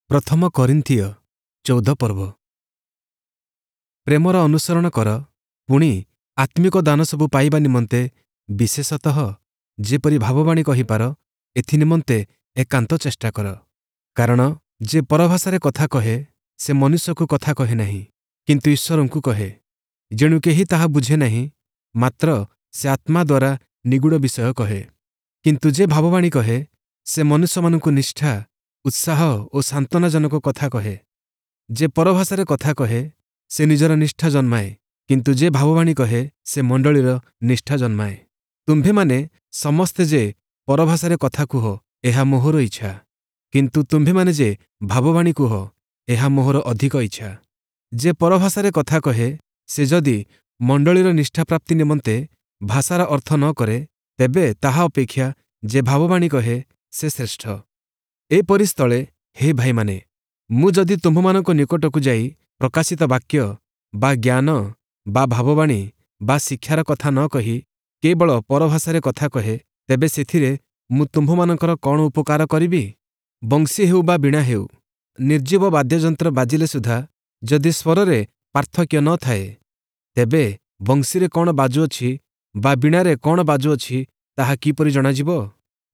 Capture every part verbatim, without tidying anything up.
ପ୍ରଥମ କରିନ୍ଥୀୟ ଚଉଦ ପର୍ବ। ପ୍ରେମର ଅନୁସରଣ କର, ପୁଣି ଆତ୍ମିକ ଦାନ ସବୁ ପାଇବା ନିମନ୍ତେ ବିଶେଷତଃ ଯେପରି ଭାବବାଣୀ କହିପାର, ଏଥି ନିମନ୍ତେ ଏକାନ୍ତ ଚେଷ୍ଟା କର। କାରଣ ଯେ ପରଭାଷାରେ କଥା କହେ, ସେ ମନୁଷ୍ୟକୁ କଥା କହେ ନାହିଁ, କିନ୍ତୁ ଈଶ୍ୱରଙ୍କୁ କହେ। ଯେଣୁ କେହି ତାହା ବୁଝେ ନାହିଁ, ମାତ୍ର ସେ ଆତ୍ମା ଦ୍ୱାରା ନିଗୂଢ଼ ବିଷୟ କହେ। କିନ୍ତୁ ଯେ ଭାବବାଣୀ କହେ, ସେ ମନୁଷ୍ୟମାନଙ୍କୁ ନିଷ୍ଠା, ଉତ୍ସାହ ଓ ସାନ୍ତ୍ୱନାଜନକ କଥା କହେ। ଯେ ପରଭାଷାରେ କଥା କହେ, ସେ ନିଜର ନିଷ୍ଠା ଜନ୍ମାଏ, କିନ୍ତୁ ଯେ ଭାବବାଣୀ କହେ, ସେ ମଣ୍ଡଳୀର ନିଷ୍ଠା ଜନ୍ମାଏ। ତୁମ୍ଭେମାନେ ସମସ୍ତେ ଯେ ପରଭାଷାରେ କଥା କୁହ, ଏହା ମୋହର ଇଚ୍ଛା। କିନ୍ତୁ ତୁମ୍ଭେମାନେ ଯେ ଭାବବାଣୀ କୁହ, ଏହା ମୋହର ଅଧିକ ଇଚ୍ଛା। ଯେ ପରଭାଷାରେ କଥା କହେ, ସେ ଯଦି ମଣ୍ଡଳୀର ନିଷ୍ଠାପ୍ରାପ୍ତି ନିମନ୍ତେ ଭାଷାର ଅର୍ଥ ନ କରେ, ତେବେ ତାହା ଅପେକ୍ଷା ଯେ ଭାବବାଣୀ କହେ, ସେ ଶ୍ରେଷ୍ଠ। ଏପରି ସ୍ଥଳେ ହେ ଭାଇମାନେ, ମୁଁ ଯଦି ତୁମ୍ଭମାନଙ୍କ ନିକଟକୁ ଯାଇ ପ୍ରକାଶିତ ବାକ୍ୟ ବା ଜ୍ଞାନ ବା ଭାବବାଣୀ ବା ଶିକ୍ଷାର କଥା ନ କହି କେବଳ ପରଭାଷାରେ କଥା କହେ, ତେବେ ସେଥିରେ ମୁଁ ତୁମ୍ଭମାନଙ୍କର କ'ଣ ଉପକାର କରିବି? ବଂଶୀ ହେଉ ବା ବୀଣା ହେଉ, ନିର୍ଜୀବ ବାଦ୍ୟଯନ୍ତ୍ର ବାଜିଲେ ସୁଦ୍ଧା ଯଦି ସ୍ୱରରେ ପାର୍ଥକ୍ୟ ନ ଥାଏ, ତେବେ ବଂଶୀରେ କ'ଣ ବାଜୁଅଛି ବା ବୀଣାରେ କ'ଣ ବାଜୁଅଛି, ତାହା କିପରି ଜଣାଯିବ?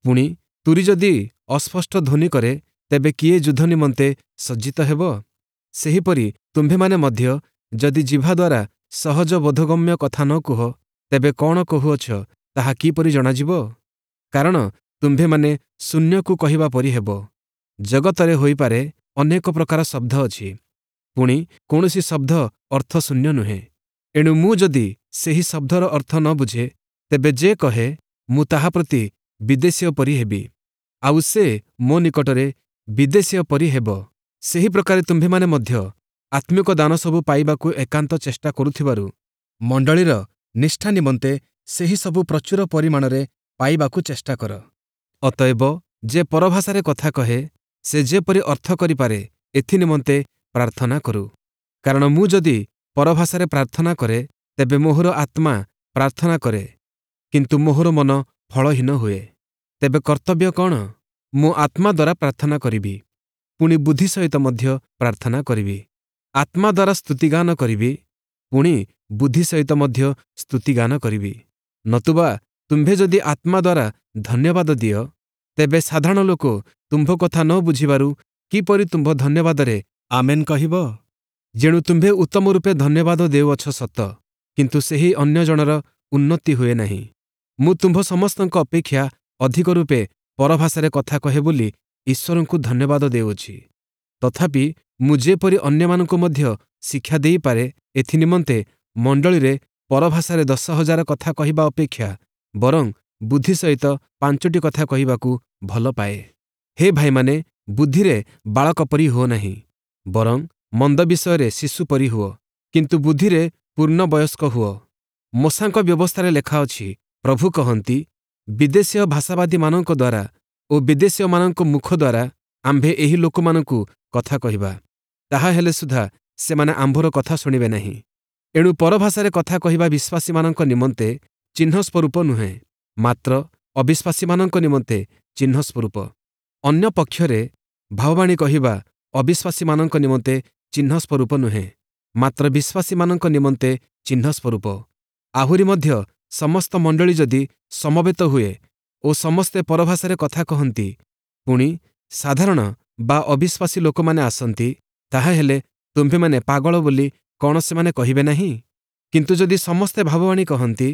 ପୁଣି ତୂରୀ ଯଦି ଅସ୍ପଷ୍ଟ ଧ୍ୱନି କରେ, ତେବେ କିଏ ଯୁଦ୍ଧ ନିମନ୍ତେ ସଜ୍ଜିତ ହେବ? ସେହିପରି ତୁମ୍ଭେମାନେ ମଧ୍ୟ ଯଦି ଜିହ୍ବା ଦ୍ୱାରା ସହଜ ବୋଧଗମ୍ୟ କଥା ନ କୁହ, ତେବେ କ'ଣ କହୁଅଛ, ତାହା କିପରି ଜଣାଯିବ? କାରଣ ତୁମ୍ଭେମାନେ ଶୂନ୍ୟକୁ କହିବା ପରି ହେବ। ଜଗତରେ ହୋଇପାରେ ଅନେକ ପ୍ରକାର ଶବ୍ଦ ଅଛି, ପୁଣି କୌଣସି ଶବ୍ଦ ଅର୍ଥଶୂନ୍ୟ ନୁହେଁ। ଏଣୁ ମୁଁ ଯଦି ସେହି ଶବ୍ଦର ଅର୍ଥ ନ ବୁଝେ, ତେବେ ଯେ କହେ, ମୁଁ ତାହା ପ୍ରତି ବିଦେଶୀୟ ପରି ହେବି, ଆଉ ସେ ମୋ ନିକଟରେ ବିଦେଶୀୟ ପରି ହେବ। ସେହି ପ୍ରକାରେ ତୁମ୍ଭେମାନେ ମଧ୍ୟ ଆତ୍ମିକ ଦାନ ସବୁ ପାଇବାକୁ ଏକାନ୍ତ ଚେଷ୍ଟା କରୁଥିବାରୁ ମଣ୍ଡଳୀର ନିଷ୍ଠା ନିମନ୍ତେ ସେହି ସବୁ ପ୍ରଚୁର ପରିମାଣରେ ପାଇବାକୁ ଚେଷ୍ଟା କର। ଅତଏବ ଯେ ପରଭାଷାରେ କଥା କହେ, ସେ ଯେପରି ଅର୍ଥ କରିପାରେ, ଏଥି ନିମନ୍ତେ ପ୍ରାର୍ଥନା କରୁ। କାରଣ ମୁଁ ଯଦି ପରଭାଷାରେ ପ୍ରାର୍ଥନା କରେ, ତେବେ ମୋହର ଆତ୍ମା ପ୍ରାର୍ଥନା କରେ, କିନ୍ତୁ ମୋହର ମନ ଫଳହୀନ ହୁଏ। ତେବେ କର୍ତ୍ତବ୍ୟ କ'ଣ? ମୁଁ ଆତ୍ମା ଦ୍ୱାରା ପ୍ରାର୍ଥନା କରିବି, ପୁଣି ବୁଦ୍ଧି ସହିତ ମଧ୍ୟ ପ୍ରାର୍ଥନା କରିବି। ଆତ୍ମା ଦ୍ୱାରା ସ୍ତୁତିଗାନ କରିବି, ପୁଣି ବୁଦ୍ଧି ସହିତ ମଧ୍ୟ ସ୍ତୁତିଗାନ କରିବି। ନତୁବା ତୁମ୍ଭେ ଯଦି ଆତ୍ମା ଦ୍ୱାରା ଧନ୍ୟବାଦ ଦିଅ, ତେବେ ସାଧାରଣ ଲୋକ ତୁମ୍ଭ କଥା ନ ବୁଝିବାରୁ କିପରି ତୁମ୍ଭ ଧନ୍ୟବାଦରେ ଆମେନ୍ କହିବ? ଯେଣୁ ତୁମ୍ଭେ ଉତ୍ତମ ରୂପେ ଧନ୍ୟବାଦ ଦେଉଅଛ ସତ, କିନ୍ତୁ ସେହି ଅନ୍ୟ ଜଣର ଉନ୍ନତି ହୁଏ ନାହିଁ। ମୁଁ ତୁମ୍ଭ ସମସ୍ତଙ୍କ ଅପେକ୍ଷା ଅଧିକ ରୂପେ ପରଭାଷାରେ କଥା କହେ ବୋଲି ଈଶ୍ୱରଙ୍କୁ ଧନ୍ୟବାଦ ଦେଉଅଛି। ତଥାପି ମୁଁ ଯେପରି ଅନ୍ୟମାନଙ୍କୁ ମଧ୍ୟ ଶିକ୍ଷା ଦେଇପାରେ, ଏଥି ନିମନ୍ତେ ମଣ୍ଡଳୀରେ ପରଭାଷାରେ ଦଶ ହଜାର କଥା କହିବା ଅପେକ୍ଷା ବରଂ ବୁଦ୍ଧି ସହିତ ପାଞ୍ଚଟି କଥା କହିବାକୁ ଭଲ ପାଏ। ହେ ଭାଇମାନେ, ବୁଦ୍ଧିରେ ବାଳକ ପରି ହୁଅ ନାହିଁ, ବରଂ ମନ୍ଦ ବିଷୟରେ ଶିଶୁ ପରି ହୁଅ, କିନ୍ତୁ ବୁଦ୍ଧିରେ ପୂର୍ଣ୍ଣବୟସ୍କ ହୁଅ। ମୋଶାଙ୍କ ବ୍ୟବସ୍ଥାରେ ଲେଖାଅଛି, ପ୍ରଭୁ କହନ୍ତି, ବିଦେଶୀୟ ଭାଷାବାଦୀମାନଙ୍କ ଦ୍ୱାରା ଓ ବିଦେଶୀୟମାନଙ୍କ ମୁଖ ଦ୍ୱାରା ଆମ୍ଭେ ଏହି ଲୋକମାନଙ୍କୁ କଥା କହିବା, ତାହା ହେଲେ ସୁଦ୍ଧା ସେମାନେ ଆମ୍ଭର କଥା ଶୁଣିବେ ନାହିଁ। ଏଣୁ ପରଭାଷାରେ କଥା କହିବା ବିଶ୍ୱାସୀମାନଙ୍କ ନିମନ୍ତେ ଚିହ୍ନ ସ୍ୱରୂପ ନୁହେଁ, ମାତ୍ର ଅବିଶ୍ୱାସୀମାନଙ୍କ ନିମନ୍ତେ ଚିହ୍ନ ସ୍ୱରୂପ। ଅନ୍ୟ ପକ୍ଷରେ ଭାବବାଣୀ କହିବା ଅବିଶ୍ୱାସୀମାନଙ୍କ ନିମନ୍ତେ ଚିହ୍ନ ସ୍ୱରୂପ ନୁହେଁ, ମାତ୍ର ବିଶ୍ୱାସୀମାନଙ୍କ ନିମନ୍ତେ ଚିହ୍ନ ସ୍ୱରୂପ। ଆହୁରି ମଧ୍ୟ ସମସ୍ତ ମଣ୍ଡଳୀ ଯଦି ସମବେତ ହୁଏ ଓ ସମସ୍ତେ ପରଭାଷାରେ କଥା କହନ୍ତି, ପୁଣି ସାଧାରଣ ବା ଅବିଶ୍ୱାସୀ ଲୋକମାନେ ଆସନ୍ତି, ତାହାହେଲେ ତୁମ୍ଭେମାନେ ପାଗଳ ବୋଲି କ'ଣ ସେମାନେ କହିବେ ନାହିଁ? କିନ୍ତୁ ଯଦି ସମସ୍ତେ ଭାବବାଣୀ କହନ୍ତି,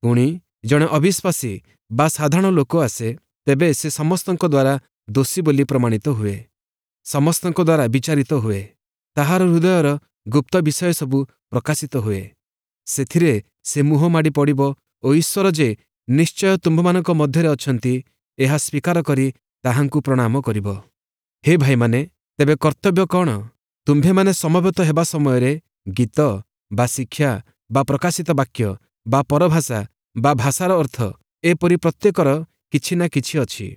ପୁଣି ଜଣେ ଅବିଶ୍ୱାସୀ ବା ସାଧାରଣ ଲୋକ ଆସେ, ତେବେ ସେ ସମସ୍ତଙ୍କ ଦ୍ୱାରା ଦୋଷୀ ବୋଲି ପ୍ରମାଣିତ ହୁଏ, ସମସ୍ତଙ୍କ ଦ୍ୱାରା ବିଚାରିତ ହୁଏ, ତାହାର ହୃଦୟର ଗୁପ୍ତ ବିଷୟ ସବୁ ପ୍ରକାଶିତ ହୁଏ। ସେଥିରେ ସେ ମୁହଁ ମାଡ଼ି ପଡ଼ିବ ଓ ଈଶ୍ୱର ଯେ ନିଶ୍ଚୟ ତୁମ୍ଭମାନଙ୍କ ମଧ୍ୟରେ ଅଛନ୍ତି, ଏହା ସ୍ୱୀକାର କରି ତାହାଙ୍କୁ ପ୍ରଣାମ କରିବ। ହେ ଭାଇମାନେ, ତେବେ କର୍ତ୍ତବ୍ୟ କ'ଣ? ତୁମ୍ଭେମାନେ ସମବେତ ହେବା ସମୟରେ ଗୀତ ବା ଶିକ୍ଷା ବା ପ୍ରକାଶିତ ବାକ୍ୟ ବା ପରଭାଷା ବା ଭାଷାର ଅର୍ଥ, ଏପରି ପ୍ରତ୍ୟେକର କିଛି ନା କିଛି ଅଛି।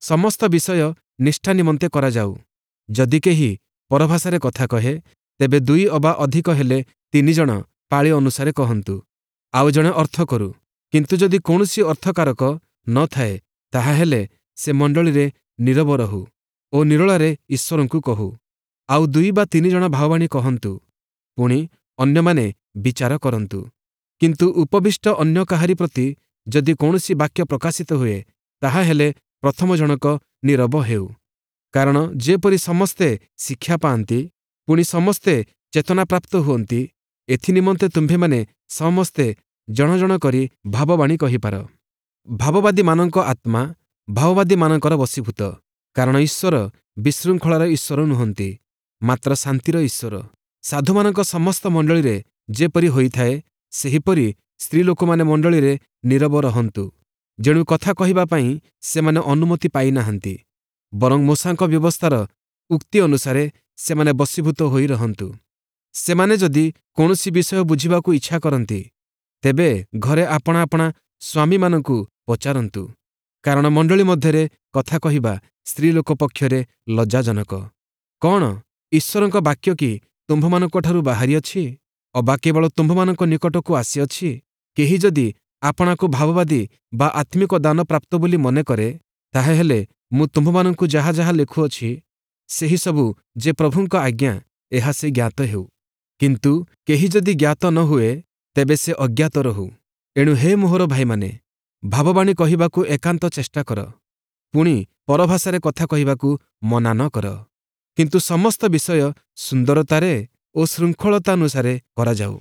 ସମସ୍ତ ବିଷୟ ନିଷ୍ଠା ନିମନ୍ତେ କରାଯାଉ। ଯଦି କେହି ପରଭାଷାରେ କଥା କହେ, ତେବେ ଦୁଇ ଅବା ଅଧିକ ହେଲେ ତିନି ଜଣ ପାଳି ଅନୁସାରେ କହନ୍ତୁ, ଆଉ ଜଣେ ଅର୍ଥ କରୁ। କିନ୍ତୁ ଯଦି କୌଣସି ଅର୍ଥକାରକ ନ ଥାଏ, ତାହାହେଲେ ସେ ମଣ୍ଡଳୀରେ ନୀରବ ରହୁ। ଓ ନିରୋଳାରେ ଈଶ୍ୱରଙ୍କୁ କହୁ। ଆଉ ଦୁଇ ବା ତିନି ଜଣ ଭାବବାଣୀ କହନ୍ତୁ, ପୁଣି ଅନ୍ୟମାନେ ବିଚାର କରନ୍ତୁ। କିନ୍ତୁ ଉପବିଷ୍ଟ ଅନ୍ୟ କାହାରି ପ୍ରତି ଯଦି କୌଣସି ବାକ୍ୟ ପ୍ରକାଶିତ ହୁଏ, ତାହାହେଲେ ପ୍ରଥମ ଜଣକ ନୀରବ ହେଉ। କାରଣ ଯେପରି ସମସ୍ତେ ଶିକ୍ଷା ପାଆନ୍ତି, ପୁଣି ସମସ୍ତେ ଚେତନାପ୍ରାପ୍ତ ହୁଅନ୍ତି, ଏଥିନିମନ୍ତେ ତୁମ୍ଭେମାନେ ସମସ୍ତେ ଜଣ ଜଣ କରି ଭାବବାଣୀ କହିପାର। ଭାବବାଦୀମାନଙ୍କ ଆତ୍ମା ଭାବବାଦୀମାନଙ୍କର ବଶୀଭୂତ। କାରଣ ଈଶ୍ୱର ବିଶୃଙ୍ଖଳାର ଈଶ୍ୱର ନୁହନ୍ତି, ମାତ୍ର ଶାନ୍ତିର ଈଶ୍ୱର। ସାଧୁମାନଙ୍କ ସମସ୍ତ ମଣ୍ଡଳୀରେ ଯେପରି ହୋଇଥାଏ, ସେହିପରି ସ୍ତ୍ରୀଲୋକମାନେ ମଣ୍ଡଳୀରେ ନୀରବ ରହନ୍ତୁ। ଯେଣୁ କଥା କହିବା ପାଇଁ ସେମାନେ ଅନୁମତି ପାଇନାହାନ୍ତି, ବରଂ ମୋଶାଙ୍କ ବ୍ୟବସ୍ଥାର ଉକ୍ତି ଅନୁସାରେ ସେମାନେ ବଶୀଭୂତ ହୋଇ ରହନ୍ତୁ। ସେମାନେ ଯଦି କୌଣସି ବିଷୟ ବୁଝିବାକୁ ଇଚ୍ଛା କରନ୍ତି, ତେବେ ଘରେ ଆପଣା ଆପଣା ସ୍ୱାମୀମାନଙ୍କୁ ପଚାରନ୍ତୁ। କାରଣ ମଣ୍ଡଳୀ ମଧ୍ୟରେ କଥା କହିବା ସ୍ତ୍ରୀଲୋକ ପକ୍ଷରେ ଲଜ୍ଜାଜନକ। କଣ ଈଶ୍ୱରଙ୍କ ବାକ୍ୟ କି ତୁମ୍ଭମାନଙ୍କଠାରୁ ବାହାରିଅଛି? ଅବା କେବଳ ତୁମ୍ଭମାନଙ୍କ ନିକଟକୁ ଆସିଅଛି? କେହି ଯଦି ଆପଣାକୁ ଭାବବାଦୀ ବା ଆତ୍ମିକ ଦାନ ପ୍ରାପ୍ତ ବୋଲି ମନେ କରେ, ତାହାହେଲେ ମୁଁ ତୁମ୍ଭମାନଙ୍କୁ ଯାହା ଯାହା ଲେଖୁଅଛି, ସେହି ସବୁ ଯେ ପ୍ରଭୁଙ୍କ ଆଜ୍ଞା, ଏହା ସେ ଜ୍ଞାତ ହେଉ। କିନ୍ତୁ କେହି ଯଦି ଜ୍ଞାତ ନ ହୁଏ, ତେବେ ସେ ଅଜ୍ଞାତ ରହୁ। ଏଣୁ ହେ ମୋହର ଭାଇମାନେ, ଭାବବାଣୀ କହିବାକୁ ଏକାନ୍ତ ଚେଷ୍ଟା କର, ପୁଣି ପରଭାଷାରେ କଥା କହିବାକୁ ମନା ନ କର। କିନ୍ତୁ ସମସ୍ତ ବିଷୟ ସୁନ୍ଦରତାରେ ଓ ଶୃଙ୍ଖଳତାନୁସାରେ କରାଯାଉ।